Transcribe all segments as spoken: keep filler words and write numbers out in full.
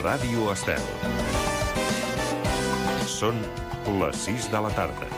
Ràdio Estel. Són les sis de la tarda.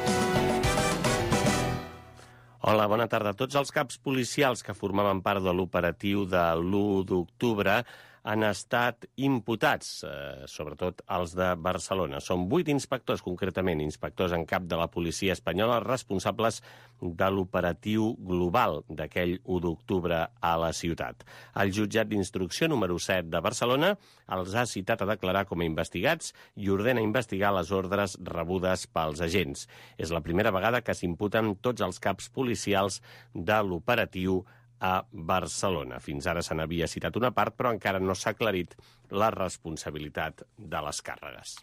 Hola, bona tarda. Tots els caps policials que formaven part de l'operatiu de l'u d'octubre han estat imputats, eh, sobretot els de Barcelona. Són vuit inspectors, concretament, inspectors en cap de la policia espanyola, responsables de l'operatiu global d'aquell u d'octubre a la ciutat. El jutjat d'instrucció número set de Barcelona els ha citat a declarar com a investigats i ordena investigar les ordres rebudes pels agents. És la primera vegada que s'imputen tots els caps policials de l'operatiu a Barcelona. Fins ara se n'havia citat una part, però encara no s'ha aclarit la responsabilitat de les càrregues.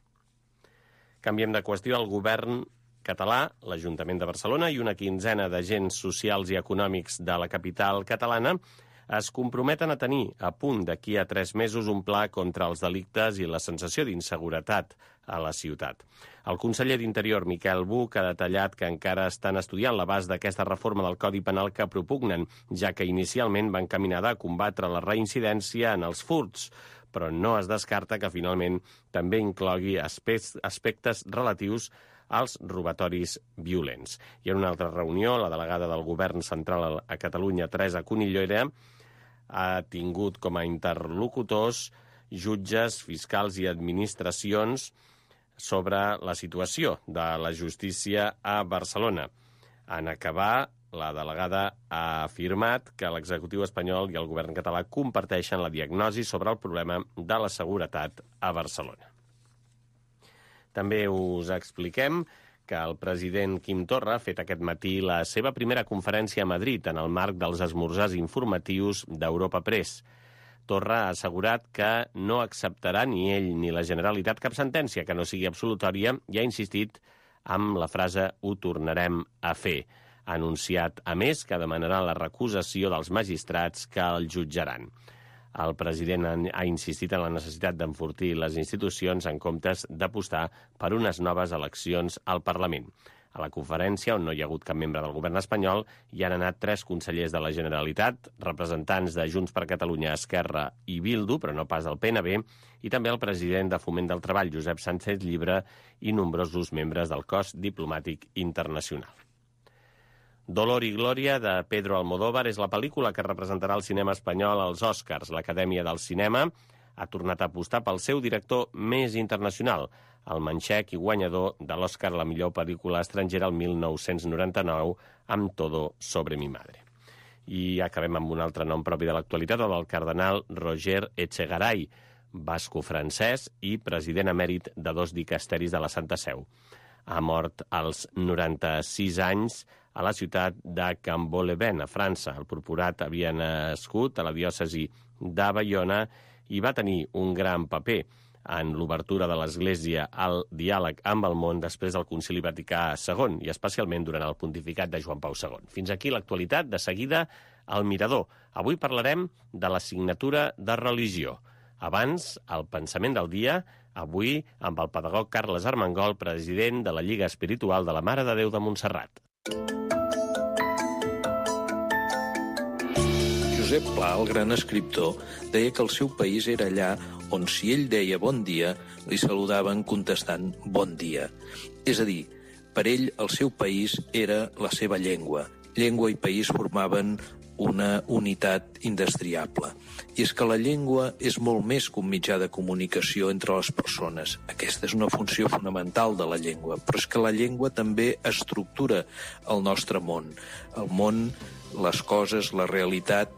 Canviem de qüestió. El govern català, l'Ajuntament de Barcelona i una quinzena d'agents socials i econòmics de la capital catalana es comprometen a tenir a punt d'aquí a tres mesos un pla contra els delictes i la sensació d'inseguretat a la ciutat. El conseller d'Interior, Miquel Buch, ha detallat que encara estan estudiant l'abast d'aquesta reforma del Codi Penal que propugnen, ja que inicialment va encaminada a combatre la reincidència en els furts, però no es descarta que finalment també inclogui aspectes relatius als robatoris violents. I en una altra reunió, la delegada del Govern Central a Catalunya, Teresa Cunillera, ha tingut com a interlocutors jutges, fiscals i administracions sobre la situació de la justícia a Barcelona. En acabar, la delegada ha afirmat que l'executiu espanyol i el govern català comparteixen la diagnosi sobre el problema de la seguretat a Barcelona. També us expliquem que el president Quim Torra ha fet aquest matí la seva primera conferència a Madrid en el marc dels esmorzars informatius d'Europa Press. Torra ha assegurat que no acceptarà ni ell ni la Generalitat cap sentència que no sigui absolutòria i ha insistit amb la frase «ho tornarem a fer». Ha anunciat, a més, que demanarà la recusació dels magistrats que el jutjaran. El president ha insistit en la necessitat d'enfortir les institucions en comptes d'apostar per unes noves eleccions al Parlament. A la conferència, on no hi ha hagut cap membre del govern espanyol, hi han anat tres consellers de la Generalitat, representants de Junts per Catalunya, Esquerra i Bildu, però no pas del P N B, i també el president de Foment del Treball, Josep Sánchez Llibre, i nombrosos membres del cos diplomàtic internacional. Dolor i Glòria, de Pedro Almodóvar, és la pel·lícula que representarà el cinema espanyol als Oscars. L'Acadèmia del Cinema ha tornat a apostar pel seu director més internacional, el manxec i guanyador de l'Oscar a la millor pel·lícula estrangera el mil nou-cents noranta-nou, amb Todo sobre mi madre. I acabem amb un altre nom propi de l'actualitat, el del cardenal Roger Echegaray, basco-francès i president emèrit de dos dicasteris de la Santa Seu. Ha mort als noranta-sis anys a la ciutat de Cambo-les-Bains, a França. El purpurat havia nascut a la diòcesi de Baiona i va tenir un gran paper en l'obertura de l'Església al diàleg amb el món després del Concili Vaticà segon i especialment durant el pontificat de Joan Pau segon. Fins aquí l'actualitat. De seguida, al Mirador. Avui parlarem de l'assignatura de religió. Abans, el pensament del dia, avui amb el pedagog Carles Armengol, president de la Lliga Espiritual de la Mare de Déu de Montserrat. Josep Pla, el gran escriptor, deia que el seu país era allà on si ell deia bon dia, li saludaven contestant bon dia. És a dir, per ell el seu país era la seva llengua. Llengua i país formaven una unitat indestriable. I és que la llengua és molt més que un mitjà de comunicació entre les persones. Aquesta és una funció fonamental de la llengua, però és que la llengua també estructura el nostre món. El món, les coses, la realitat,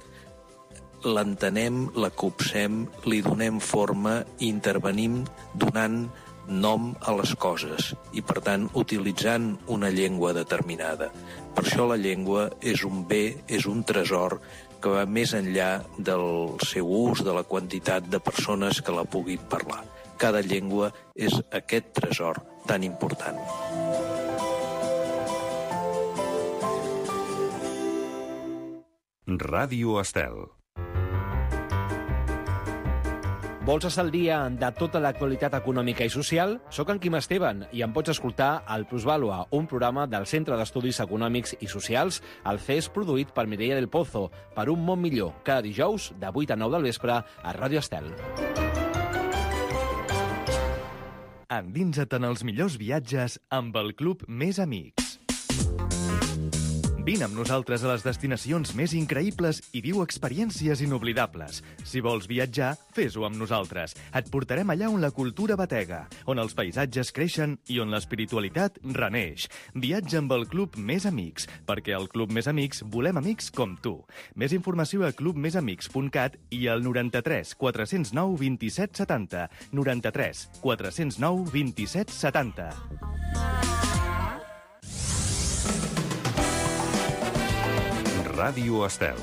l'entenem, la copsem, li donem forma i intervenim donant nom a les coses i, per tant, utilitzant una llengua determinada. Per això la llengua és un bé, és un tresor que va més enllà del seu ús, de la quantitat de persones que la puguin parlar. Cada llengua és aquest tresor tan important. Ràdio Estel. Vols estar al dia de tota l'actualitat econòmica i social? Soc en Quim Esteban i em pots escoltar al Plusvàlua, un programa del Centre d'Estudis Econòmics i Socials, el C E S produït per Mireia del Pozo, per un món millor, cada dijous de vuit a nou del vespre a Ràdio Estel. Endinsa't en els millors viatges amb el Club Més Amics. Vine amb nosaltres a les destinacions més increïbles i viu experiències inoblidables. Si vols viatjar, fes-ho amb nosaltres. Et portarem allà on la cultura batega, on els paisatges creixen i on l'espiritualitat reneix. Viatja amb el Club Més Amics, perquè al Club Més Amics volem amics com tu. Més informació a club més amics punt cat i al noranta-tres quatre zero nou vint-i-set setanta. noranta-tres quatre zero nou vint-i-set setanta. Ràdio Estel.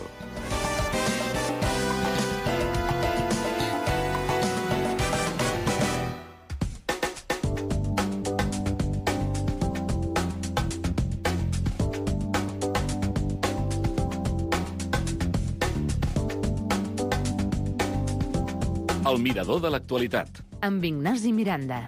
El mirador de l'actualitat. Amb Ignasi Miranda.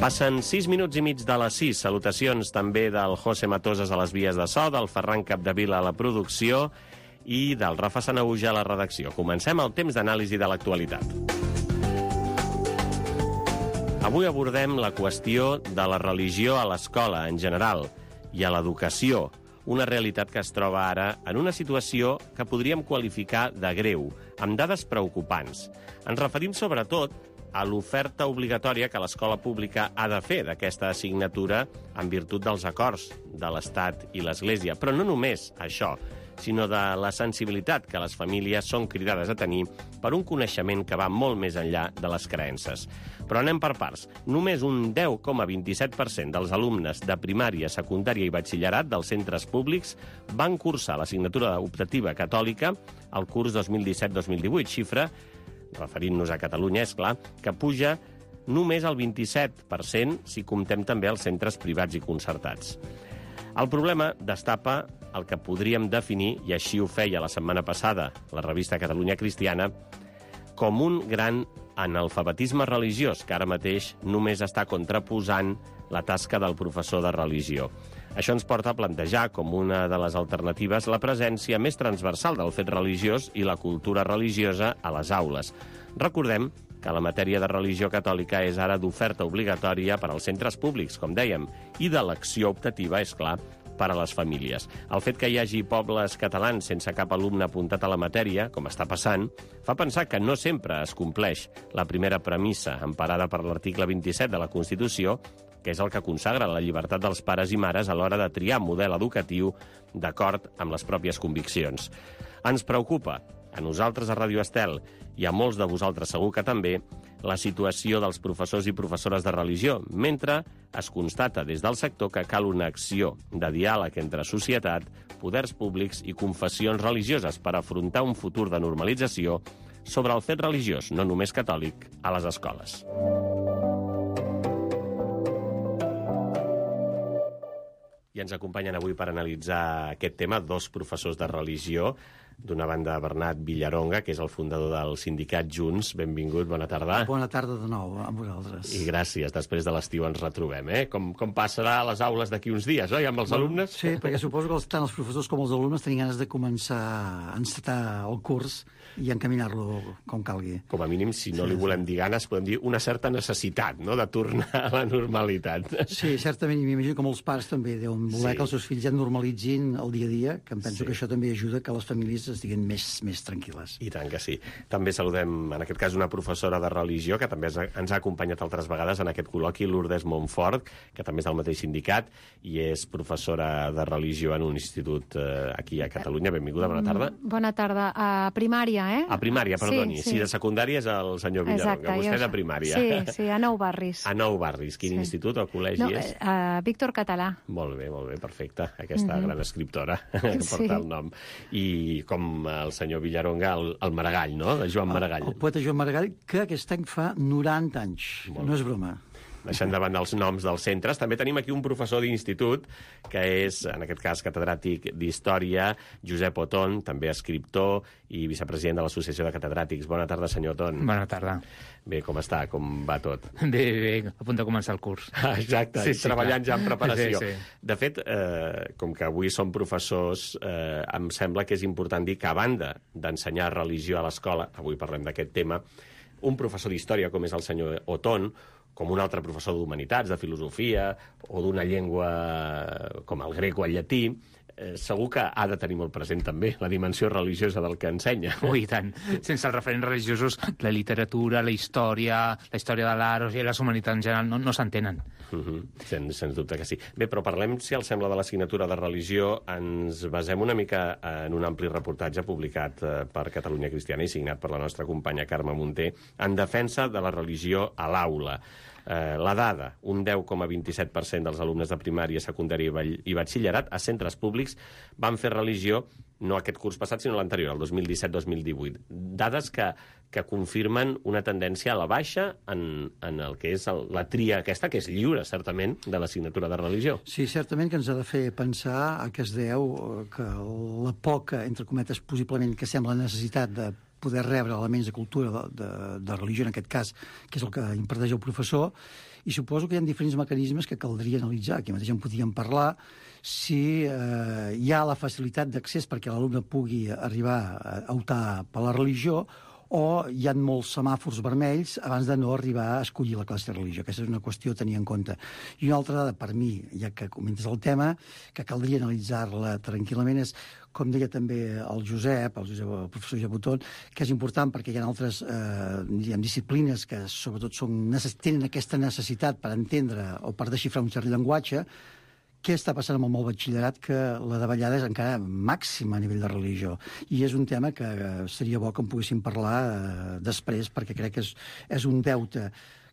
Passen sis minuts i mig de les sis. Salutacions també del José Matoses a les vies de so, del Ferran Capdevila a la producció i del Rafa Sanahuja a la redacció. Comencem el temps d'anàlisi de l'actualitat. Avui abordem la qüestió de la religió a l'escola en general i a l'educació, una realitat que es troba ara en una situació que podríem qualificar de greu, amb dades preocupants. Ens referim sobretot a l'oferta obligatòria que l'escola pública ha de fer d'aquesta assignatura en virtut dels acords de l'Estat i l'Església. Però no només això, sinó de la sensibilitat que les famílies són cridades a tenir per un coneixement que va molt més enllà de les creences. Però anem per parts. Només un deu coma vint-i-set per cent dels alumnes de primària, secundària i batxillerat dels centres públics van cursar l'assignatura optativa catòlica al curs dos mil disset dos mil divuit, xifra, referint-nos a Catalunya, és clar, que puja només al vint-i-set per cent si comptem també els centres privats i concertats. El problema destapa el que podríem definir, i així ho feia la setmana passada la revista Catalunya Cristiana, com un gran analfabetisme religiós, que ara mateix només està contraposant la tasca del professor de religió. Això ens porta a plantejar com una de les alternatives la presència més transversal del fet religiós i la cultura religiosa a les aules. Recordem que la matèria de religió catòlica és ara d'oferta obligatòria per als centres públics, com dèiem, i d'elecció optativa, és clar, per a les famílies. El fet que hi hagi pobles catalans sense cap alumne apuntat a la matèria, com està passant, fa pensar que no sempre es compleix la primera premissa emparada per l'article vint-i-set de la Constitució, que és el que consagra la llibertat dels pares i mares a l'hora de triar model educatiu d'acord amb les pròpies conviccions. Ens preocupa, a nosaltres a Ràdio Estel, i a molts de vosaltres segur que també, la situació dels professors i professores de religió, mentre es constata des del sector que cal una acció de diàleg entre societat, poders públics i confessions religioses per afrontar un futur de normalització sobre el fet religiós, no només catòlic, a les escoles. I ens acompanyen avui per analitzar aquest tema dos professors de religió. D'una banda, Bernat Villaronga, que és el fundador del sindicat Junts. Benvingut, bona tarda. Bona tarda de nou amb vosaltres. I gràcies. Després de l'estiu ens retrobem, eh? Com, com passarà a les aules d'aquí uns dies, oi, amb els bueno, alumnes? Sí, perquè suposo que tant els professors com els alumnes tenien ganes de començar a encetar el curs i encaminar-lo com calgui. Com a mínim, si no sí, li volem sí. dir ganes, podem dir una certa necessitat, no?, de tornar a la normalitat. Sí, certament, i m'imagino que molts pares també deuen voler sí. que els seus fills ja normalitzin el dia a dia, que em penso sí. que això també ajuda que les famílies estiguin més, més tranquil·les. I tant que sí. També saludem, en aquest cas, una professora de religió, que també ens ha acompanyat altres vegades en aquest col·loqui, Lourdes Montfort, que també és del mateix sindicat, i és professora de religió en un institut eh, aquí a Catalunya. Benvinguda, bona tarda. Bona tarda. A primària, eh? A primària, perdoni. Sí, sí. Si de secundària és el senyor Villaronga. Exacte, Vostè jo... de primària. Sí, sí, a Nou Barris. A Nou Barris. Quin sí. institut o col·legi no, és? Uh, Víctor Català. Molt bé, molt bé, perfecte. Aquesta mm-hmm. gran escriptora que sí. porta el nom. I com el senyor Villaronga, el, el Maragall, no?, de Joan Maragall. El, el poeta Joan Maragall, que aquest any fa noranta anys. Molt no és broma. deixant de banda els noms dels centres. També tenim aquí un professor d'institut, que és, en aquest cas, catedràtic d'Història, Josep Oton, també escriptor i vicepresident de l'Associació de Catedràtics. Bona tarda, senyor Oton. Bona tarda. Bé, com està? Com va tot? Bé, bé, a punt de començar el curs. Ah, exacte, sí, sí, treballant clar. Ja en preparació. Sí, sí. De fet, eh, com que avui som professors, eh, em sembla que és important dir que, a banda d'ensenyar religió a l'escola, avui parlem d'aquest tema, un professor d'història com és el senyor Oton, com un altre professor d'humanitats, de filosofia, o d'una llengua com el grec o el llatí, eh, segur que ha de tenir molt present també la dimensió religiosa del que ensenya. Ui, tant. Sense els referents religiosos, la literatura, la història, la història de l'art, o sigui, les humanitats en general no, no s'entenen. Uh -huh. Sens, sens dubte que sí. Bé, però parlem, si els sembla, de l'assignatura de religió. Ens basem una mica en un ampli reportatge publicat eh, per Catalunya Cristiana i signat per la nostra companya Carme Munté en defensa de la religió a l'aula. Eh, la dada, un deu coma vint-i-set per cent dels alumnes de primària, secundària i batxillerat a centres públics van fer religió, no aquest curs passat, sinó l'anterior, el dos mil disset dos mil divuit. Dades que, que confirmen una tendència a la baixa en, en el que és el, la tria aquesta, que és lliure, certament, de l'assignatura de religió. Sí, certament que ens ha de fer pensar a què es deu que la poca, entre cometes, possiblement, que sembla necessitat de poder rebre elements de cultura, de, de, de religió, en aquest cas, que és el que imparteix el professor, i suposo que hi ha diferents mecanismes que caldria analitzar. Aquí mateix en podíem parlar si eh, hi ha la facilitat d'accés perquè l'alumne pugui arribar a optar per la religió, o hi ha molts semàfors vermells abans de no arribar a escollir la classe de religió. Aquesta és una qüestió a tenir en compte. I una altra dada, per mi, ja que comentes el tema, que caldria analitzar-la tranquil·lament, és, com deia també el Josep, el, Josep, el professor Josep Oton, que és important perquè hi ha altres eh, diguem, disciplines que sobretot són, tenen aquesta necessitat per entendre o per desxifrar un cert llenguatge. Què està passant amb el molt batxillerat? Que la davallada és encara màxima a nivell de religió. I és un tema que seria bo que en poguéssim parlar eh, després, perquè crec que és, és un deute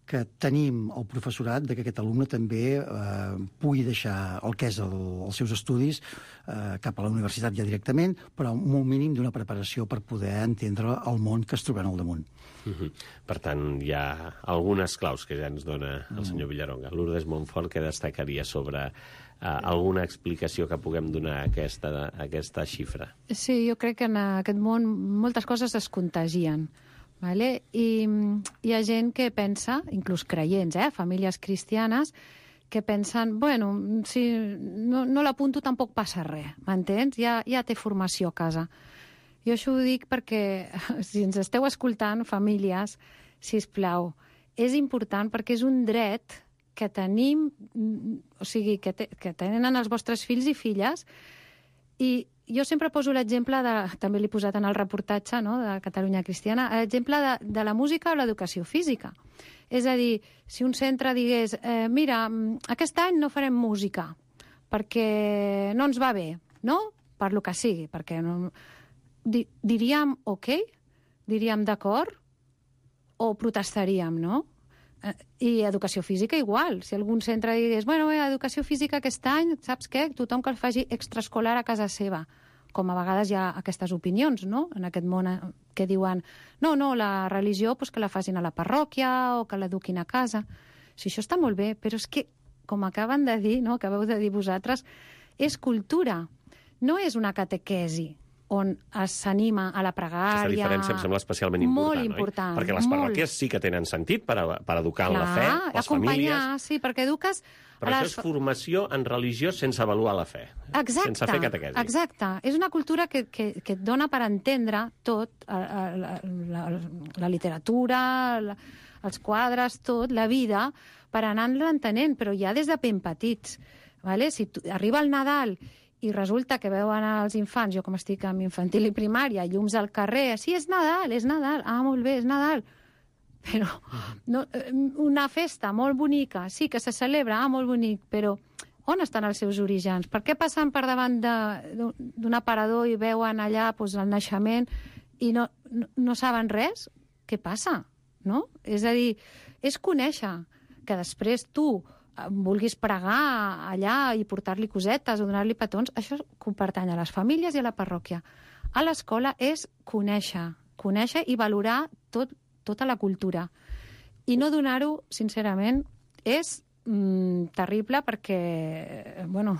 que tenim el professorat de que aquest alumne també eh, pugui deixar el que és el, els seus estudis eh, cap a la universitat ja directament, però amb un mínim d'una preparació per poder entendre el món que es troben al damunt. Uh-huh. Per tant, hi ha algunes claus que ja ens dona el senyor Villaronga. Lourdes Montfort, que destacaria sobre Uh, alguna explicació que puguem donar a aquesta, a aquesta xifra? Sí, jo crec que en aquest món moltes coses es contagien. Vale? I hi ha gent que pensa, inclús creients, eh, famílies cristianes, que pensen, bueno, si no, no l'apunto tampoc passa res, m'entens? Ja, ja té formació a casa. Jo això ho dic perquè, si ens esteu escoltant, famílies, sisplau, és important perquè és un dret que tenim, o sigui, que, te, que tenen els vostres fills i filles, i jo sempre poso l'exemple, de, també l'he posat en el reportatge, no?, de Catalunya Cristiana, l'exemple de, de la música o l'educació física. És a dir, si un centre digués, eh, mira, aquest any no farem música, perquè no ens va bé, no?, per lo que sigui, perquè no... Di, diríem, ok? Diríem d'acord? O protestaríem, no? I educació física igual. Si algun centre digués, bueno, bé, educació física aquest any, saps què? Tothom que el faci extraescolar a casa seva. Com a vegades hi ha aquestes opinions, no?, en aquest món que diuen, no, no, la religió pues, que la facin a la parròquia o que l'eduquin a casa. Si això està molt bé, però és que, com acaben de dir, no?, acabeu de dir vosaltres, és cultura, no és una catequesi on s'anima a la pregària... Aquesta diferència em sembla especialment important, molt important, oi? Perquè les parròquies molt. sí que tenen sentit per, a, per educar en Clar, la fe, les acompanyar, famílies... sí, perquè eduques... Però les... això és formació en religió sense avaluar la fe. Exacte, sense fer catequesi. exacte. És una cultura que, que, que et dona per entendre tot, la, la, la, la literatura, la, els quadres, tot, la vida, per anar-la entenent, però ja des de ben petits. Vale? Si tu, arriba el Nadal i resulta que veuen els infants, jo com estic en infantil i primària, llums al carrer, sí, és Nadal, és Nadal, ah, molt bé, és Nadal, però no, una festa molt bonica, sí que se celebra, ah, molt bonic, però on estan els seus orígens? Per què passen per davant d'un aparador i veuen allà doncs, el naixement i no, no, no saben res? Què passa? No? És a dir, és conèixer que després tu vulguis pregar allà i portar-li cosetes o donar-li petons, això pertany a les famílies i a la parròquia. A l'escola és conèixer, conèixer i valorar tot, tota la cultura. I no donar-ho, sincerament, és mm, terrible perquè, bueno,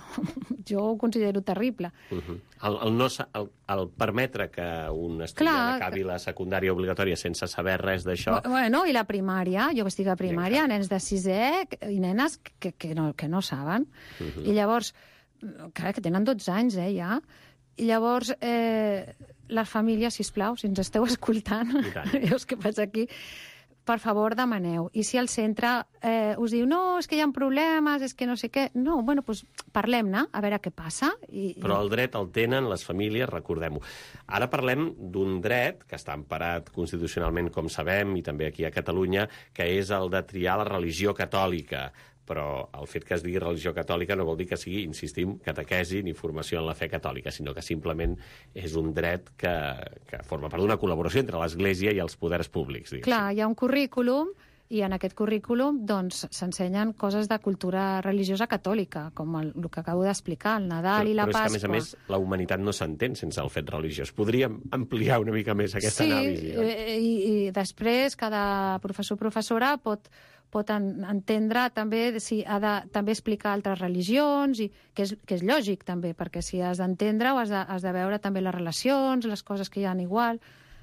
jo ho considero terrible. Uh -huh. el, el, no, el, el permetre que un estudiant Clar, acabi la secundària obligatòria sense saber res d'això... Bueno, i la primària, jo estic a primària, nens de sisè i nenes que, que, no, que no saben. Uh -huh. I llavors, clar, que tenen dotze anys, eh, ja. I llavors, eh, les famílies, sisplau, si ens esteu escoltant, veus què passa aquí, per favor, demaneu. I si el centre eh, us diu no, és que hi ha problemes, és que no sé què... No, bueno, doncs parlem-ne, a veure què passa. I, Però el dret el tenen les famílies, recordem-ho. Ara parlem d'un dret que està emparat constitucionalment, com sabem, i també aquí a Catalunya, que és el de triar la religió catòlica. Però el fet que es digui religió catòlica no vol dir que sigui, insistim, catequesi ni formació en la fe catòlica, sinó que simplement és un dret que, que forma part d'una col·laboració entre l'Església i els poders públics. Diguéssim. Clar, hi ha un currículum i en aquest currículum doncs, s'ensenyen coses de cultura religiosa catòlica, com el, el que acabo d'explicar, el Nadal però, i la però Pasqua. Però és que, a més a més, la humanitat no s'entén sense el fet religiós. Podríem ampliar una mica més aquesta sí, anàlisi. Sí, i, i després cada professor o professora pot pot en, entendre també si ha de també explicar altres religions, i que és, que és lògic també, perquè si has d'entendre-ho has, de, has de veure també les relacions, les coses que hi ha igual.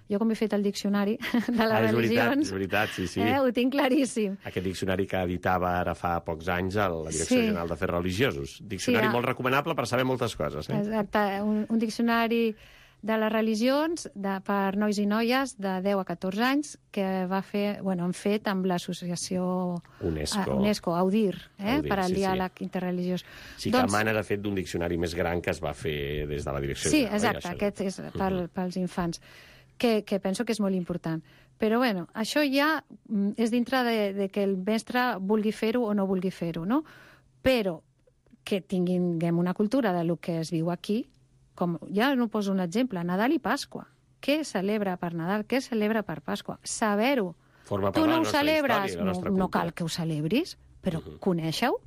Jo com he fet el diccionari de les ah, és religions... És veritat, sí, sí. Eh, ho tinc claríssim. Aquest diccionari que editava ara fa pocs anys a la Direcció sí. General d'Afers Religiosos. Diccionari sí, molt recomanable per saber moltes coses. Eh? Exacte, un, un diccionari de les religions de, per nois i noies de deu a catorze anys que va fer, bueno, han fet amb l'associació UNESCO, uh, UNESCO Audir, eh, Audir, per al sí, diàleg sí. interreligiós. Sí que doncs, emana, de fet, d'un diccionari més gran que es va fer des de la Direcció sí, General. Sí, exacte, aquest és per, uh -huh. pels infants, que, que penso que és molt important. Però, bueno, això ja és dintre de, de que el mestre vulgui fer-ho o no vulgui fer-ho, no? Però que tinguem una cultura de lo que es viu aquí, com ja no poso un exemple, Nadal i Pasqua. Què celebra per Nadal? Què celebra per Pasqua? Saber-ho. Tu no ho celebres? No, no cal que ho celebris, però uh -huh. conèixer-ho.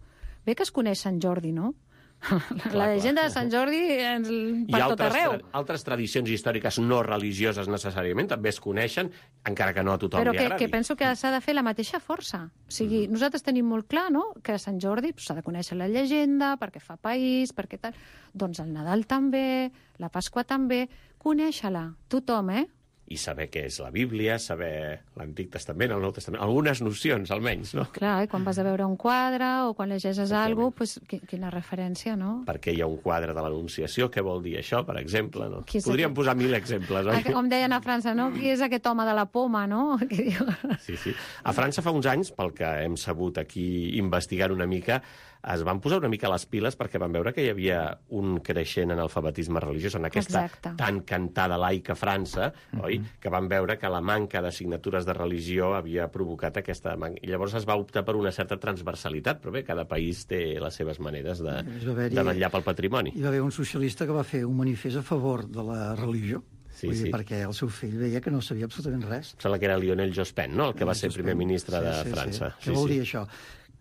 Bé que es coneix Sant Jordi, no? Clar, la llegenda clar. de Sant Jordi ens, per I tot arreu. I altres tradicions històriques no religioses necessàriament també es coneixen, encara que no a tothom Però li que, agradi. que penso que s'ha de fer la mateixa força. O sigui, mm. nosaltres tenim molt clar, no?, que a Sant Jordi s'ha de conèixer la llegenda, perquè fa país, perquè tal... Doncs el Nadal també, la Pasqua també, conèixer-la, tothom, eh? I saber què és la Bíblia, saber l'Antic Testament, el Nou Testament, algunes nocions, almenys, no? Clar, i quan vas a veure un quadre o quan llegeixes alguna cosa, pues, quina referència, no? Per què hi ha un quadre de l'Anunciació? Què vol dir això, per exemple? No? Podríem aquest... posar mil exemples, oi? Com deien a França, no? Qui és aquest home de la poma, no? Sí, sí. A França fa uns anys, pel que hem sabut aquí investigant una mica, es van posar una mica les piles perquè van veure que hi havia un creixent analfabetisme religiós en aquesta Exacte. tan cantada laica França, mm -hmm. oi? Que van veure que la manca d'assignatures de religió havia provocat aquesta manca. I llavors es va optar per una certa transversalitat, però bé, cada país té les seves maneres de, de vetllar pel patrimoni. Hi va haver un socialista que va fer un manifest a favor de la religió. Sí, Vull dir, sí. perquè el seu fill veia que no sabia absolutament res. Em sembla que era Lionel Jospin, no?, el que va ser primer ministre sí, de sí, França. Sí. Què sí, vol sí. dir això?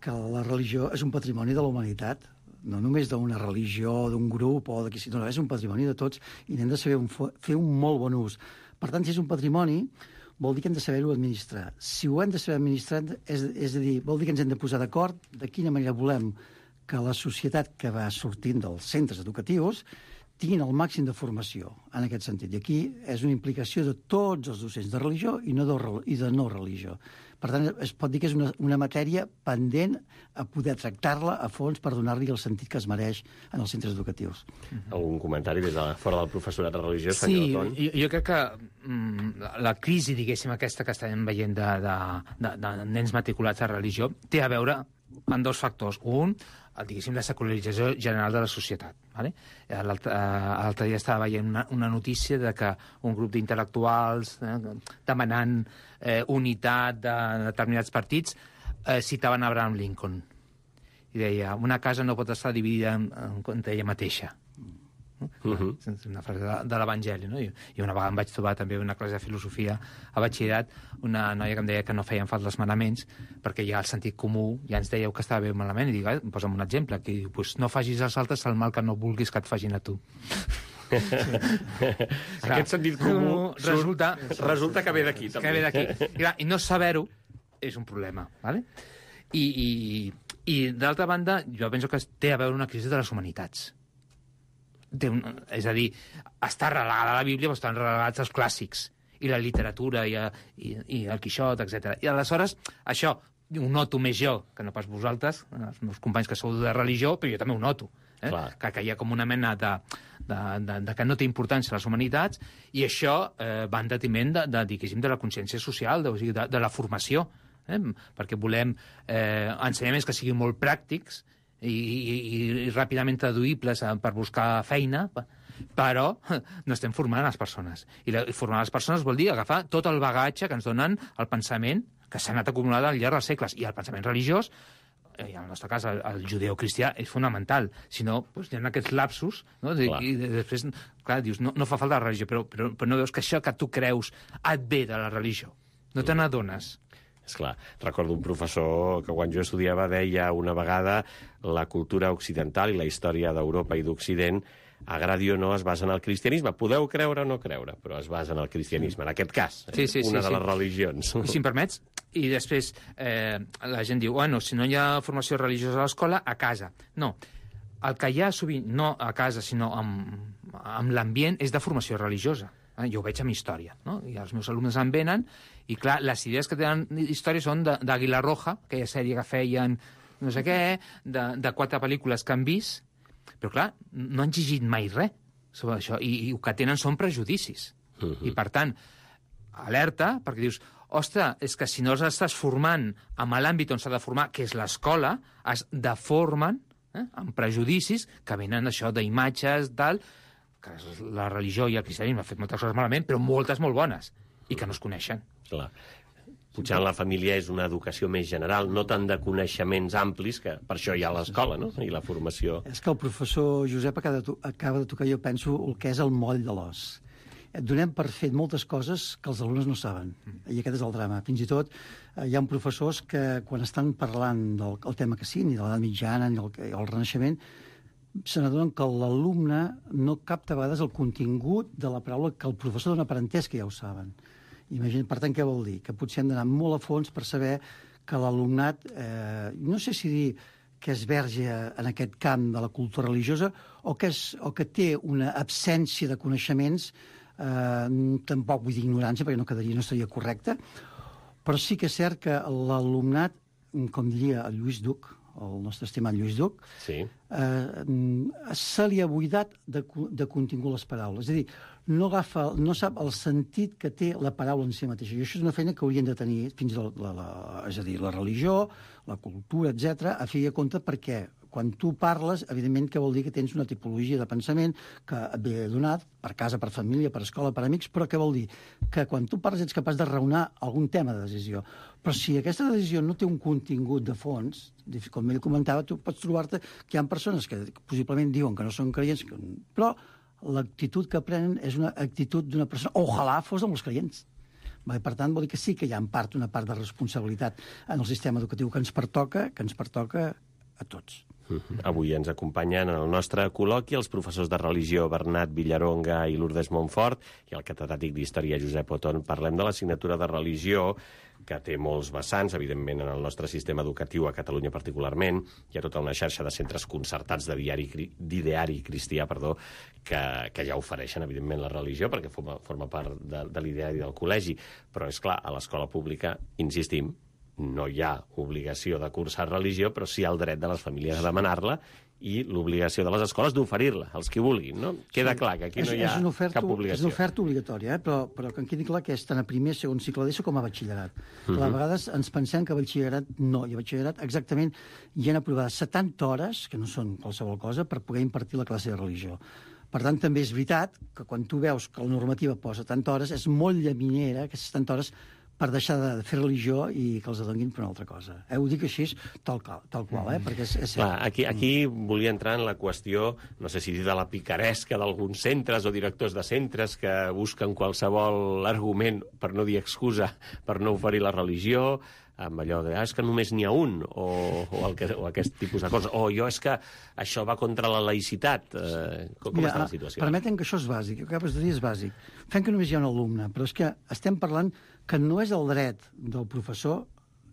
Que la religió és un patrimoni de la humanitat, no només d'una religió, d'un grup o de qui sigui, no, és un patrimoni de tots i n'hem de saber un, fer un molt bon ús. Per tant, si és un patrimoni, vol dir que hem de saber-ho administrar. Si ho hem de saber administrar, és, és a dir, vol dir que ens hem de posar d'acord de quina manera volem que la societat que va sortint dels centres educatius tinguin el màxim de formació en aquest sentit. I aquí és una implicació de tots els docents de religió i, no de, i de no religió. Per tant, es pot dir que és una, una matèria pendent a poder tractar-la a fons per donar-li el sentit que es mereix en els centres educatius. Mm-hmm. Algun comentari des de fora del professorat de religió, senyor Sí, Ton? jo, jo crec que mm, la crisi, diguéssim, aquesta que estem veient de, de, de, de nens matriculats a religió, té a veure amb dos factors. Un, diguéssim, la secularització general de la societat. Vale? L'altre dia estava veient una, una notícia de que un grup d'intel·lectuals eh, demanant eh, unitat de determinats partits eh, citaven Abraham Lincoln. I deia, una casa no pot estar dividida en, en ella mateixa. Uh -huh. Una frase de, de l'Evangeli, no? I, I una vegada em vaig trobar també una classe de filosofia a batxillerat, una noia que em deia que no feien falta els manaments perquè ja el sentit comú ja ens dèieu que estava bé malament, i dic, eh, posa'm un exemple, que diu, pues, no facis als altres el mal que no vulguis que et facin a tu. Sí. Aquest sentit comú resulta, resulta que ve d'aquí, també. Que ve d'aquí. I, I no saber-ho és un problema, ¿vale? I, i, i d'altra banda, jo penso que té a veure una crisi de les humanitats. Té un, és a dir, està relegada la Bíblia, però estan relegats els clàssics, i la literatura, i, i, i el Quixot, etcètera. I aleshores, això, ho noto més jo, que no pas vosaltres, els meus companys que sou de religió, però jo també ho noto. Eh? Que, que hi ha com una mena de, de, de, de que no té importància les humanitats, i això eh, va en detriment de, de, diguéssim, de la consciència social, de, o sigui, de, de la formació, eh? Perquè volem eh, ensenyaments que siguin molt pràctics i, i, i ràpidament traduïbles per buscar feina, però no estem formant les persones. I, la, i formar les persones vol dir agafar tot el bagatge que ens donen el pensament que s'ha anat acumulant al llarg dels segles, i el pensament religiós, i en el nostre cas el, el judeocristià, és fonamental. Si no, doncs, hi ha aquests lapsos, no? De, i de, després, clar, dius, no, no fa falta la religió, però, però, però no veus que això que tu creus et ve de la religió. No te n'adones. És clar, recordo un professor que quan jo estudiava deia una vegada la cultura occidental i la història d'Europa i d'Occident, agradi o no, es basa en el cristianisme. Podeu creure o no creure, però es basa en el cristianisme, en aquest cas, sí, sí, una sí, de les sí. religions. I si em permets, i després eh, la gent diu, bueno, si no hi ha formació religiosa a l'escola, a casa. No, el que hi ha sovint, no a casa, sinó amb, amb l'ambient, és de formació religiosa. Eh? Jo ho veig amb història, no? I els meus alumnes en venen, i clar, les idees que tenen història són d'Àguila Roja, aquella sèrie que feien no sé què, de, de quatre pel·lícules que han vist, però clar, no han llegit mai res sobre això, i, i el que tenen són prejudicis. Uh-huh. I per tant, alerta, perquè dius, ostres, és que si no els estàs formant en l'àmbit on s'ha de formar, que és l'escola, es deformen eh, amb prejudicis que venen això d'imatges, tal, que la religió i el cristianisme han fet moltes coses malament, però moltes molt bones, i que no es coneixen. Clar. Potser en la família és una educació més general, no tant de coneixements amplis, que per això hi ha l'escola, no? I la formació. És que el professor Josep acaba de, to acaba de tocar, jo penso, el que és el moll de l'os. Et donem per fet moltes coses que els alumnes no saben. I aquest és el drama. Fins i tot eh, hi ha professors que, quan estan parlant del el tema que sigui, ni de l'edat mitjana, ni el, el Renaixement, se n'adonen que l'alumne no capta a vegades el contingut de la paraula que el professor dona per entès que ja ho saben. Imagina, per tant, què vol dir? Que potser hem d'anar molt a fons per saber que l'alumnat, eh, no sé si dir que és verge en aquest camp de la cultura religiosa o que, és, o que té una absència de coneixements, eh, tampoc vull dir ignorància, perquè no quedaria, no seria correcte, però sí que és cert que l'alumnat, com diria el Lluís Duc, el nostre estimat Lluís Duc, sí. eh, se li ha buidat de, de contingut les paraules. És a dir, no, agafa, no sap el sentit que té la paraula en si mateixa. I això és una feina que haurien de tenir fins a la, la, és a dir, la religió, la cultura, etcètera, a fer de compte, perquè quan tu parles, evidentment que vol dir que tens una tipologia de pensament que et ve donat per casa, per família, per escola, per amics, però què vol dir? Que quan tu parles ets capaç de raonar algun tema de decisió. Però si aquesta decisió no té un contingut de fons, com ell comentava, tu pots trobar-te que hi ha persones que possiblement diuen que no són creients, però l'actitud que prenen és una actitud d'una persona, ojalà fos amb els creients. Per tant, vol dir que sí que hi ha en part una part de responsabilitat en el sistema educatiu que ens pertoca, que ens pertoca a tots. Uh-huh. Avui ens acompanyen en el nostre col·loqui els professors de religió Bernat Villaronga i Lourdes Montfort i el catedràtic d'Història Josep Oton. Parlem de l'assignatura de religió, que té molts vessants, evidentment, en el nostre sistema educatiu, a Catalunya particularment. Hi ha tota una xarxa de centres concertats de diari, d'ideari cristià, perdó, que, que ja ofereixen, evidentment, la religió, perquè forma, forma part de, de l'ideari del col·legi. Però, és clar, a l'escola pública, insistim, no hi ha obligació de cursar religió, però sí el dret de les famílies a demanar-la i l'obligació de les escoles d'oferir-la, els que vulguin, no? Queda clar que aquí no hi ha cap obligació. És una oferta obligatòria, eh? però, però que em quedi clar que és tant a primer, segon cicle d'ESO com a batxillerat. Uh -huh. A vegades ens pensem que a batxillerat no, i a batxillerat exactament hi han aprovades setanta hores, que no són qualsevol cosa, per poder impartir la classe de religió. Per tant, també és veritat que quan tu veus que la normativa posa setanta hores, és molt llaminera aquestes setanta hores per deixar de fer religió i que els adonguin per una altra cosa. Eh? Ho dic així, tal, tal qual, eh? Perquè és, és Clar, aquí, aquí volia entrar en la qüestió, no sé si dir de la picaresca d'alguns centres o directors de centres que busquen qualsevol argument, per no dir excusa, per no oferir la religió, amb allò de, ah, és que només n'hi ha un, o, o, el que, o aquest tipus de coses, o jo és que això va contra la laïcitat. Eh, com Mira, està la situació? Permeten que això és bàsic, el que acabes de dir és bàsic. Fem que només hi ha un alumne, però és que estem parlant que no és el dret del professor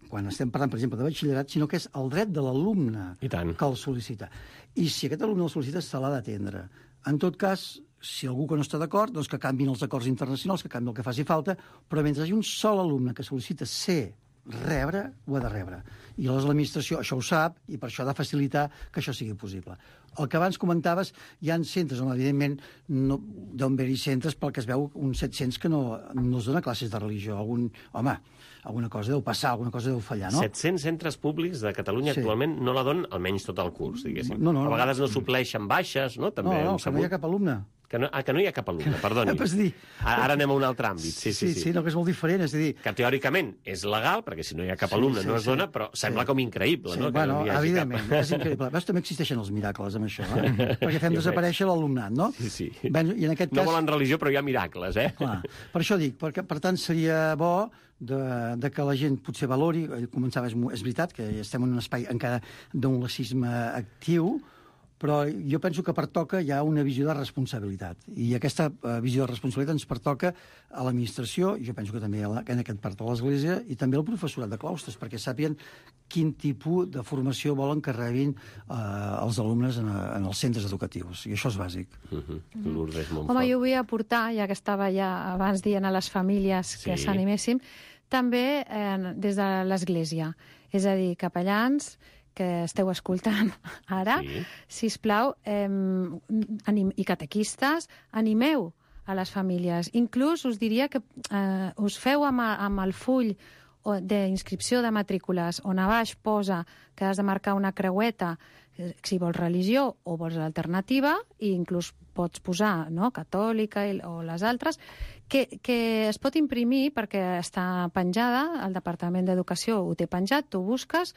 quan estem parlant, per exemple, de batxillerat, sinó que és el dret de l'alumne I tant. que el sol·licita. I si aquest alumne el sol·licita, se l'ha d'atendre. En tot cas, si algú que no està d'acord, doncs que canvin els acords internacionals, que canvi el que faci falta, però mentre hi hagi un sol alumne que sol·licita ser rebre, ho ha de rebre. I aleshores l'administració això ho sap i per això ha de facilitar que això sigui possible. El que abans comentaves, hi ha centres on, evidentment, no, deuen haver-hi centres pel que es veu uns set-cents que no, no es dona classes de religió. Algun, home, alguna cosa deu passar, alguna cosa deu fallar, no? set-cents centres públics de Catalunya Sí. actualment no la donen almenys tot el curs, diguéssim. No, no, no. A vegades no supleixen baixes, no? També No, no, hem que no hi ha sabut. cap alumne. Que no, ah, que no hi ha cap alumne, perdoni. És dir, Ara ara anem a un altre àmbit. Sí, sí, sí. sí, no, que és molt diferent, és a dir... Que teòricament és legal, perquè si no hi ha cap Sí, alumne sí, no es sí. dona, però sembla Sí. com increïble, Sí, no? Que bueno, no hi hagi evidentment, cap... és increïble. Veus, també existeixen els miracles amb això, eh? Perquè fem Jo desaparèixer l'alumnat, no? Sí, sí. Bueno, i en aquest No cas... volen religió, però hi ha miracles, eh? Clar, per això dic, perquè, per tant, seria bo de, de que la gent potser valori, començava, és, és veritat, que estem en un espai encara d'un laïcisme actiu, però jo penso que pertoca ja una visió de responsabilitat. I aquesta uh, visió de responsabilitat ens pertoca a l'administració, jo penso que també a la, en aquest part de l'Església, i també al professorat de claustres, perquè sàpien quin tipus de formació volen que rebin uh, els alumnes en, en els centres educatius. I això és bàsic. Uh -huh. Lourdes Montfort. Home, jo vull aportar, ja que estava ja abans dient a les famílies que Sí. s'animessin, també eh, des de l'Església. És a dir, capellans que esteu escoltant ara, Sí. sisplau, eh, anim, i catequistes, animeu a les famílies. Inclús us diria que eh, us feu amb, a- amb el full o- d'inscripció de matrícules on a baix posa que has de marcar una creueta eh, si vols religió o vols l'alternativa, i inclús pots posar no, catòlica i, o les altres, que, que es pot imprimir perquè està penjada, el Departament d'Educació ho té penjat, tu busques,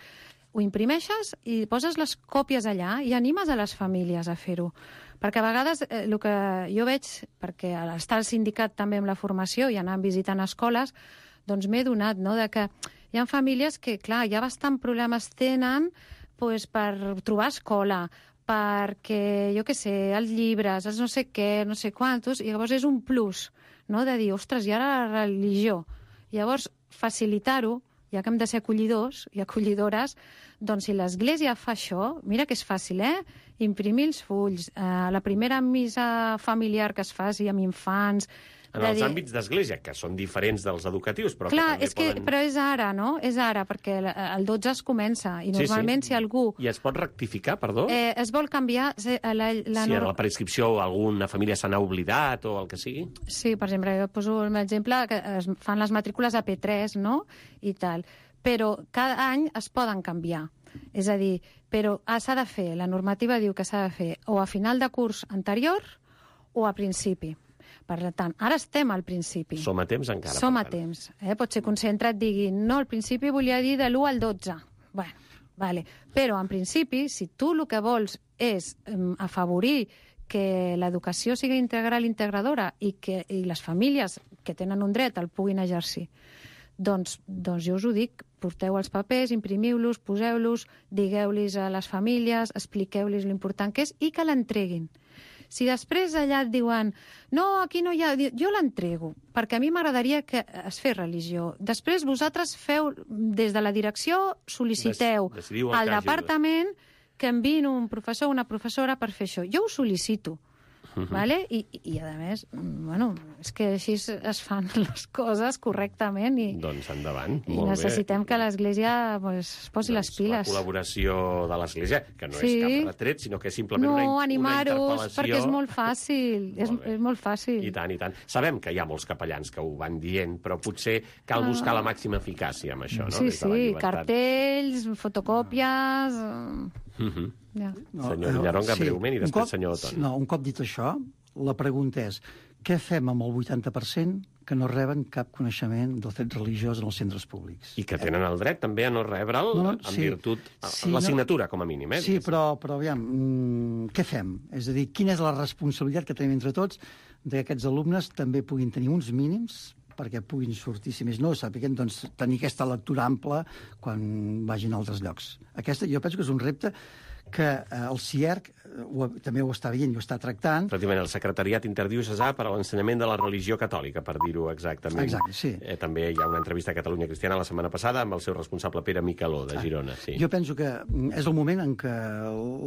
ho imprimeixes i poses les còpies allà i animes a les famílies a fer-ho. Perquè a vegades eh, el que jo veig, perquè al estar al sindicat també amb la formació i anar visitant escoles, doncs m'he donat no, de que hi ha famílies que, clar, ja bastant problemes tenen pues, per trobar escola, perquè, jo què sé, els llibres, els no sé què, no sé quantos, i llavors és un plus, no?, de dir, ostres, i ara la religió. Llavors, facilitar-ho, ja que hem de ser acollidors i acollidores, doncs si l'Església fa això, mira que és fàcil, eh? Imprimir els fulls, eh, la primera missa familiar que es faci amb infants... En de els dir- àmbits d'església, que són diferents dels educatius, però Clar, que és que, també poden... però és ara, no? És ara, perquè el- el dotze es comença, i Sí, normalment sí. si algú I es pot rectificar, perdó? eh, es vol canviar... se- La, la, si a nor- la prescripció alguna família se n'ha oblidat o el que sigui? Sí, per exemple, jo poso un exemple que es fan les matrícules a P tres, no?, i tal. Però cada any es poden canviar. És a dir, però ah, s'ha de fer, la normativa diu que s'ha de fer o a final de curs anterior o a principi. Per tant, ara estem al principi. Som a temps encara. Som per a tant. temps. Eh? Pot ser que un centre et digui no, al principi volia dir de l'u al dotze. Bueno, vale. Però en principi, si tu el que vols és um, afavorir que l'educació sigui integral i integradora i que i les famílies que tenen un dret el puguin exercir, doncs, doncs jo us ho dic, porteu els papers, imprimiu-los, poseu-los, digueu-los a les famílies, expliqueu-los l'important que és i que l'entreguin. Si després allà et diuen no, aquí no hi ha... Jo l'entrego, perquè a mi m'agradaria que es fes religió. Després vosaltres feu, des de la direcció, sol·liciteu Des- decidiu el al que hagi de- departament que enviïn un professor o una professora per fer això. Jo ho sol·licito. Mhm. Vale? I, i, a més, bueno, és que així es es fan les coses correctament i, Doncs endavant. i Molt necessitem bé. que l'Església pues, es posi les La piles. col·laboració de l'Església, que no Sí. és cap retret, sinó que és simplement No, una, una animar-los, interpel·lació. perquè és molt fàcil. és, Molt bé. és molt fàcil. I tant, i tant. Sabem que hi ha molts capellans que ho van dient, però potser cal Ah. buscar la màxima eficàcia amb això, no? Sí, Des de la sí, llibertat. cartells, fotocòpies... eh, Mhm. Ja. Senyor eh, Villaronga, breument, i un després cop- senyor Oton. No, un cop dit això, la pregunta és què fem amb el vuitanta per cent que no reben cap coneixement del fet religiós en els centres públics? I que tenen el dret també a no rebre'l No, no, en sí. virtut... Sí, l'assignatura, com a mínim, eh? Sí, però, però aviam, mm, què fem? És a dir, quina és la responsabilitat que tenim entre tots de que aquests alumnes també puguin tenir uns mínims perquè puguin sortir, si més no, sàpiguen doncs, tenir aquesta lectura ampla quan vagin a altres llocs. Aquesta, jo penso que és un repte que eh, el C I E R C ho, també ho està veient i ho està tractant. Efectivament, el Secretariat Interdiocesà per a l'ensenyament de la religió catòlica, per dir-ho exactament. Exacte, sí. Eh, també hi ha una entrevista a Catalunya Cristiana la setmana passada amb el seu responsable Pere Micaló, de Girona. Sí. Jo penso que és el moment en què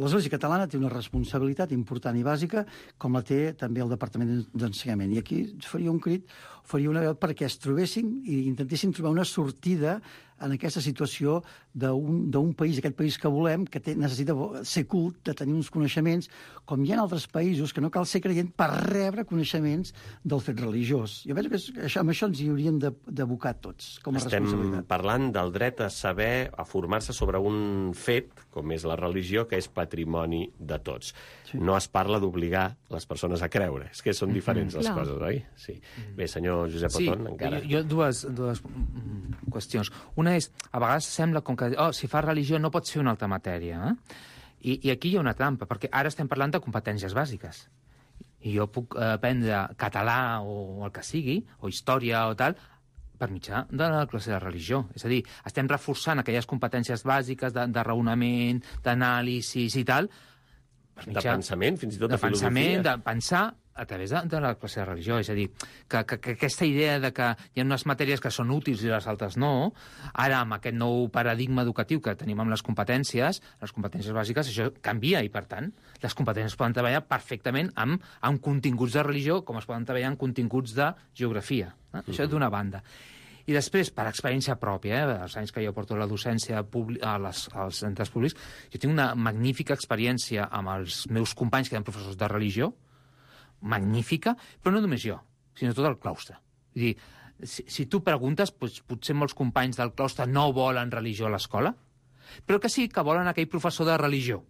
l'Església Catalana té una responsabilitat important i bàsica, com la té també el Departament d'Ensenyament. I aquí faria un crit, faria una veu perquè es trobessin i intentessin trobar una sortida en aquesta situació d'un país, aquest país que volem, que té, necessita ser cult, de tenir uns coneixements, com hi ha altres països, que no cal ser creient per rebre coneixements del fet religiós. Jo penso que és, això, amb això ens hi hauríem d'abocar tots, com a Estem responsabilitat. Estem parlant del dret a saber, a formar-se sobre un fet, com és la religió, que és patrimoni de tots. Sí. No es parla d'obligar les persones a creure. És que són diferents mm -hmm. les Clar. coses, oi? Sí. Bé, senyor Josep Sí, Oton, encara... jo, jo dues, dues mm, qüestions. Una és, a vegades sembla com que, oh, si fas religió no pots fer una altra matèria, eh? I, I aquí hi ha una trampa, perquè ara estem parlant de competències bàsiques. I jo puc eh, aprendre català o el que sigui, o història o tal, per mitjà de la classe de religió. És a dir, estem reforçant aquelles competències bàsiques de, de raonament, d'anàlisis i tal, per mitjà, de pensament, fins i tot de, de pensament, filosofia. de pensar a través de, de la classe de religió. És a dir, que, que, que aquesta idea de que hi ha unes matèries que són útils i les altres no, ara amb aquest nou paradigma educatiu que tenim amb les competències, les competències bàsiques, això canvia i, per tant, les competències poden treballar perfectament amb, amb continguts de religió com es poden treballar amb continguts de geografia. Eh? Mm-hmm. Això d'una banda. I després, per experiència pròpia, eh, els anys que jo porto la docència a les, als centres públics, jo tinc una magnífica experiència amb els meus companys que eren professors de religió, magnífica, però no només jo, sinó tot el claustre. Vull dir, si, si tu preguntes, doncs, potser molts companys del claustre no volen religió a l'escola, però que sí que volen aquell professor de religió.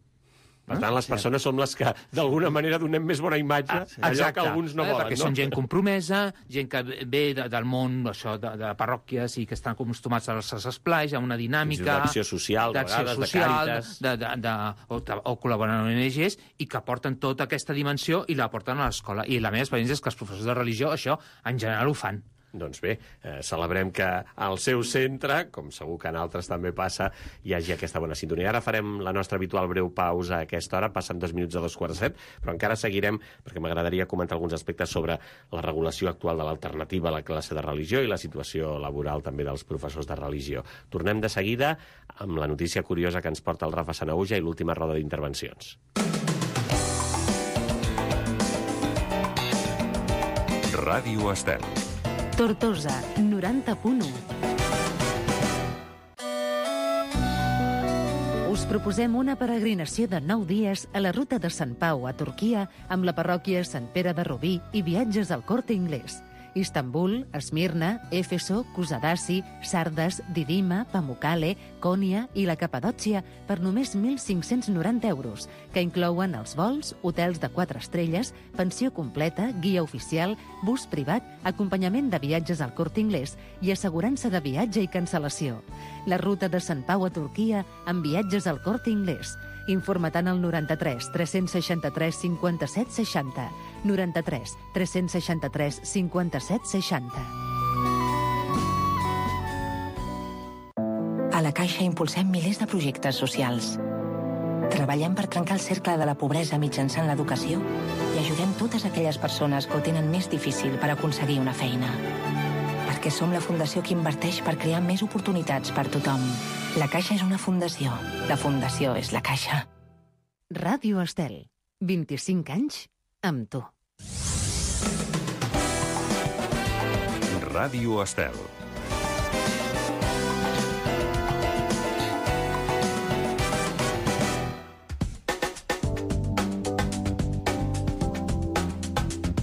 Per tant, les persones som les que, d'alguna manera, donem més bona imatge ah, sí. allò que alguns no eh, volen. Perquè no? són gent compromesa, gent que ve de, del món això, de, de parròquies i que estan acostumats als esplais, a una dinàmica... D'acció social, de vegades, social, de càritas... De, de, de, o, o col·laboren amb O N Ges i que porten tota aquesta dimensió i la porten a l'escola. I la meva experiència és que els professors de religió això, en general, ho fan. Doncs bé, eh, celebrem que al seu centre, com segur que en altres també passa, hi hagi aquesta bona sintonia. Ara farem la nostra habitual breu pausa a aquesta hora, passen dos minuts a dos quarts de set, però encara seguirem, perquè m'agradaria comentar alguns aspectes sobre la regulació actual de l'alternativa a la classe de religió i la situació laboral també dels professors de religió. Tornem de seguida amb la notícia curiosa que ens porta el Rafa Sanahuja i l'última roda d'intervencions. Ràdio Estel. Tortosa, noranta punt u. Us proposem una peregrinació de nou dies a la ruta de Sant Pau a Turquia amb la parròquia Sant Pere de Rubí i viatges al Corte Inglés. Istanbul, Esmirna, Éfeso, Kusadasi, Sardes, Didima, Pamukkale, Konya i la Capadòcia per només mil cinc-cents noranta euros, que inclouen els vols, hotels de quatre estrelles, pensió completa, guia oficial, bus privat, acompanyament de viatges al Corte Inglés i assegurança de viatge i cancel·lació. La ruta de Sant Pau a Turquia amb viatges al Corte Inglés. Informa-te'n al noranta-tres tres-cents seixanta-tres cinquanta-set seixanta. noranta-tres tres-cents seixanta-tres cinquanta-set seixanta. A la Caixa impulsem milers de projectes socials. Treballem per trencar el cercle de la pobresa mitjançant l'educació i ajudem totes aquelles persones que ho tenen més difícil per aconseguir una feina. Perquè som la fundació que inverteix per crear més oportunitats per tothom. La Caixa és una fundació. La fundació és la Caixa. Ràdio Estel. vint-i-cinc anys amb tu. Ràdio Estel.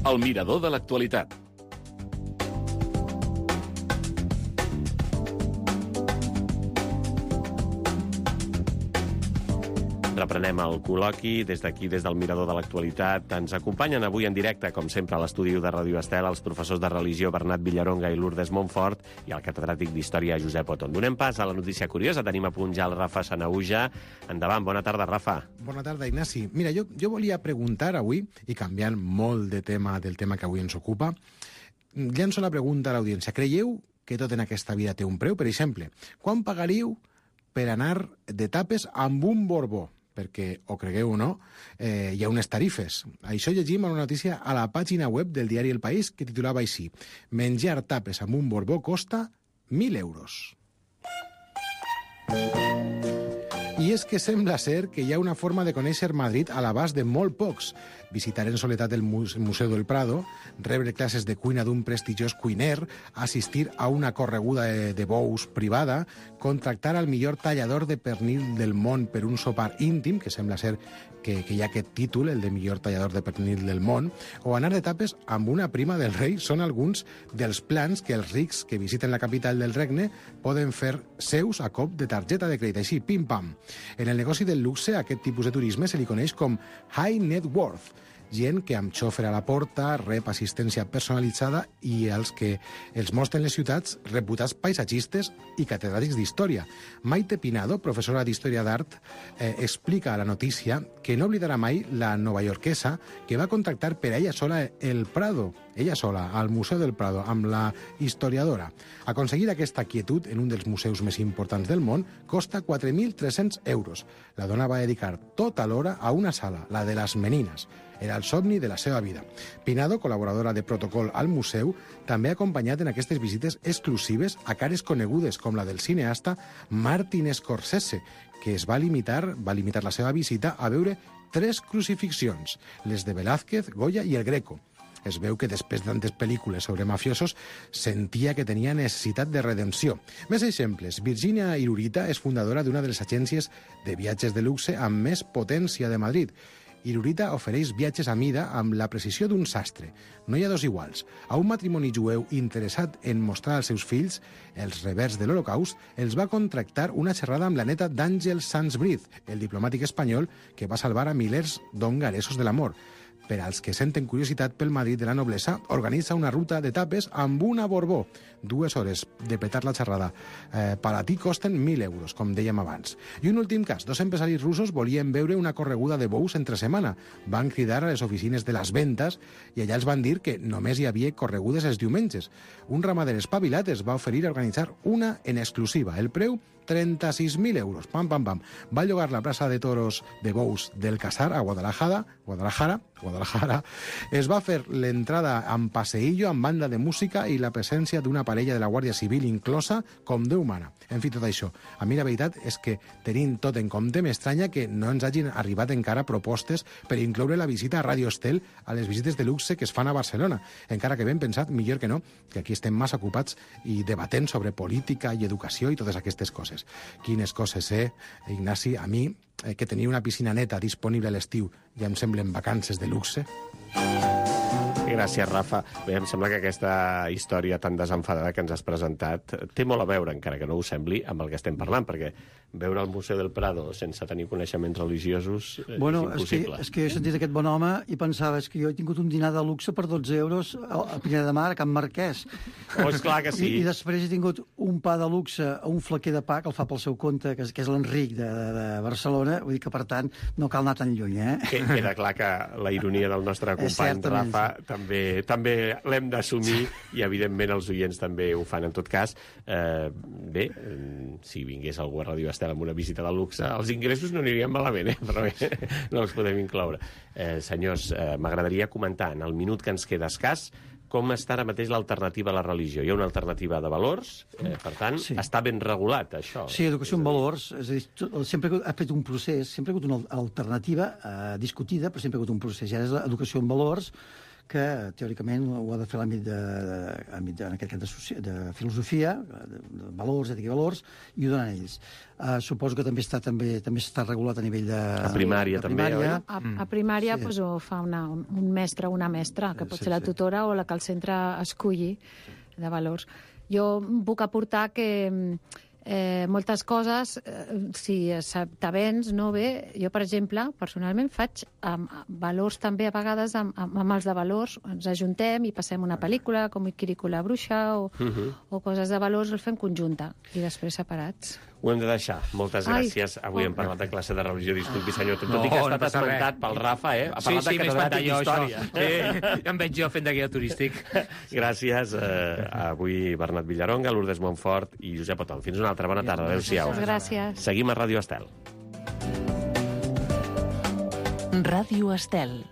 El mirador de l'actualitat. Reprenem el col·loqui des d'aquí, des del Mirador de l'Actualitat. Ens acompanyen avui en directe, com sempre, a l'estudi de Ràdio Estel, els professors de religió Bernat Villaronga i Lourdes Montfort i el catedràtic d'Història Josep Oton. Donem pas a la notícia curiosa. Tenim a punt ja el Rafa Sanahuja. Endavant, bona tarda, Rafa. Bona tarda, Ignasi. Mira, jo, jo volia preguntar avui, i canviant molt de tema del tema que avui ens ocupa, llenço la pregunta a l'audiència. Creieu que tot en aquesta vida té un preu? Per exemple, quan pagaríeu per anar de tapes amb un Borbó? perquè, o cregueu o no, eh, hi ha unes tarifes. Això llegim en una notícia a la pàgina web del diari El País, que titulava així: menjar tapes amb un borbó costa mil euros. I és que sembla ser que hi ha una forma de conèixer Madrid a l'abast de molt pocs. Visitar en soledat el Museu del Prado, rebre classes de cuina d'un prestigiós cuiner, assistir a una correguda de, de bous privada, contractar al millor tallador de pernil del món per un sopar íntim, que sembla ser que, que hi ha aquest títol, el de millor tallador de pernil del món, o anar de tapes amb una prima del rei, són alguns dels plans que els rics que visiten la capital del regne poden fer seus a cop de targeta de crèdit, així, pim-pam. En el negoci del luxe, a aquest tipus de turisme se li coneix com high net worth, gent que amb xòfer a la porta rep assistència personalitzada i els que els mostren les ciutats reputats paisatgistes i catedràtics d'història. Maite Pinado, professora d'Història d'Art, eh, explica a la notícia que no oblidarà mai la novaiorquesa que va contractar per a ella sola el Prado, ella sola, al Museu del Prado, amb la historiadora. Aconseguir aquesta quietud en un dels museus més importants del món costa quatre mil tres-cents euros. La dona va dedicar tota l'hora a una sala, la de les menines. Era el somni de la seva vida. Pinado, col·laboradora de protocol al museu, també ha acompanyat en aquestes visites exclusives a cares conegudes com la del cineasta Martin Scorsese, que es va limitar, va limitar la seva visita a veure tres crucifixions, les de Velázquez, Goya i el Greco. Es veu que després de tantes pel·lícules sobre mafiosos sentia que tenia necessitat de redempció. Més exemples. Virginia Irurita és fundadora d'una de les agències de viatges de luxe amb més potència de Madrid. Irurita ofereix viatges a mida amb la precisió d'un sastre. No hi ha dos iguals. A un matrimoni jueu interessat en mostrar als seus fills els revers de l'Holocaust, els va contractar una xerrada amb la neta d'Àngel Sanz-Briz, el diplomàtic espanyol que va salvar a milers d'hongaresos de l'amor. Per als que senten curiositat pel Madrid de la noblesa, organitza una ruta de tapes amb una Borbó. Dues hores de petar la xerrada. Eh, per a ti costen mil euros, com dèiem abans. I un últim cas. Dos empresaris russos volien veure una correguda de bous entre setmana. Van cridar a les oficines de les vendes i allà els van dir que només hi havia corregudes els diumenges. Un ramader espavilat es va oferir a organitzar una en exclusiva. El preu, trenta-sis mil euros. Pam, pam, pam. Va llogar la plaça de toros de bous del Casar a Guadalajara, Guadalajara, Guadalajara. Es va fer l'entrada amb passeillo, amb banda de música i la presència d'una parella de la Guàrdia Civil inclosa com Déu mana. En fi, tot això. A mi la veritat és que, tenint tot en compte, m'estranya que no ens hagin arribat encara propostes per incloure la visita a Radio Estel a les visites de luxe que es fan a Barcelona. Encara que ben pensat, millor que no, que aquí estem massa ocupats i debatent sobre política i educació i totes aquestes coses. Quines coses, eh, Ignasi? A mi, eh, que tenia una piscina neta disponible a l'estiu, ja em semblen vacances de luxe. Gràcies, Rafa. Bé, em sembla que aquesta història tan desenfadada que ens has presentat té molt a veure, encara que no ho sembli, amb el que estem parlant, perquè veure el Museu del Prado sense tenir coneixements religiosos eh, bueno, és impossible. És que, és que he sentit aquest bon home i pensava, és que jo he tingut un dinar de luxe per dotze euros a Pineda de Mar, a Can Marquès. Oh, esclar que sí. I, I després he tingut un pa de luxe, un flequer de pa, que el fa pel seu compte, que és, que és l'Enric de, de, de Barcelona, vull dir que, per tant, no cal anar tan lluny, eh? Queda clar que la ironia del nostre company Rafa també, també l'hem d'assumir i, evidentment, els oients també ho fan. En tot cas, eh, bé, si vingués algú a Ràdio Estel amb una visita de luxe, els ingressos no anirien malament, eh? Però bé, no els podem incloure. Eh, senyors, eh, m'agradaria comentar, en el minut que ens queda escàs, com està ara mateix l'alternativa a la religió. Hi ha una alternativa de valors, eh, per tant, sí. Està ben regulat, això. Sí, educació en valors. És a dir, sempre ha fet un procés, sempre ha hagut una alternativa eh, discutida, però sempre ha hagut un procés. Ja és l'educació en valors, que teòricament ho ha de fer l'àmbit de, de, de, en aquest cas de, de filosofia, de, de valors, ètica i valors, i ho donen ells. Uh, suposo que també està també també està regulat a nivell de... A primària, de primària. també, oi? A, a primària sí. Pues, ho fa una, un mestre o una mestra, que pot sí, ser la tutora sí. O la que el centre esculli de valors. Jo puc aportar que eh, moltes coses, eh, si t'avens, no bé, jo, per exemple, personalment faig amb valors també a vegades amb, amb els de valors, ens ajuntem i passem una pel·lícula com Ikiriku la bruixa o, uh -huh. o coses de valors, els fem conjunta i després separats. Ho hem de deixar. Moltes gràcies. Ai, Avui oh. hem parlat de classe de religió. Disculpi, senyor, tot no, i que ha estat no esmentat pel Rafa, eh? Ha parlat sí, sí, de catedràtic d'història. Sí, em veig jo fent de guia turístic. Gràcies. Eh, avui Bernat Villaronga, Lourdes Montfort i Josep Otom. Fins una altra bona tarda. Adéu-siau. Gràcies. Seguim a Ràdio Estel. Ràdio Estel.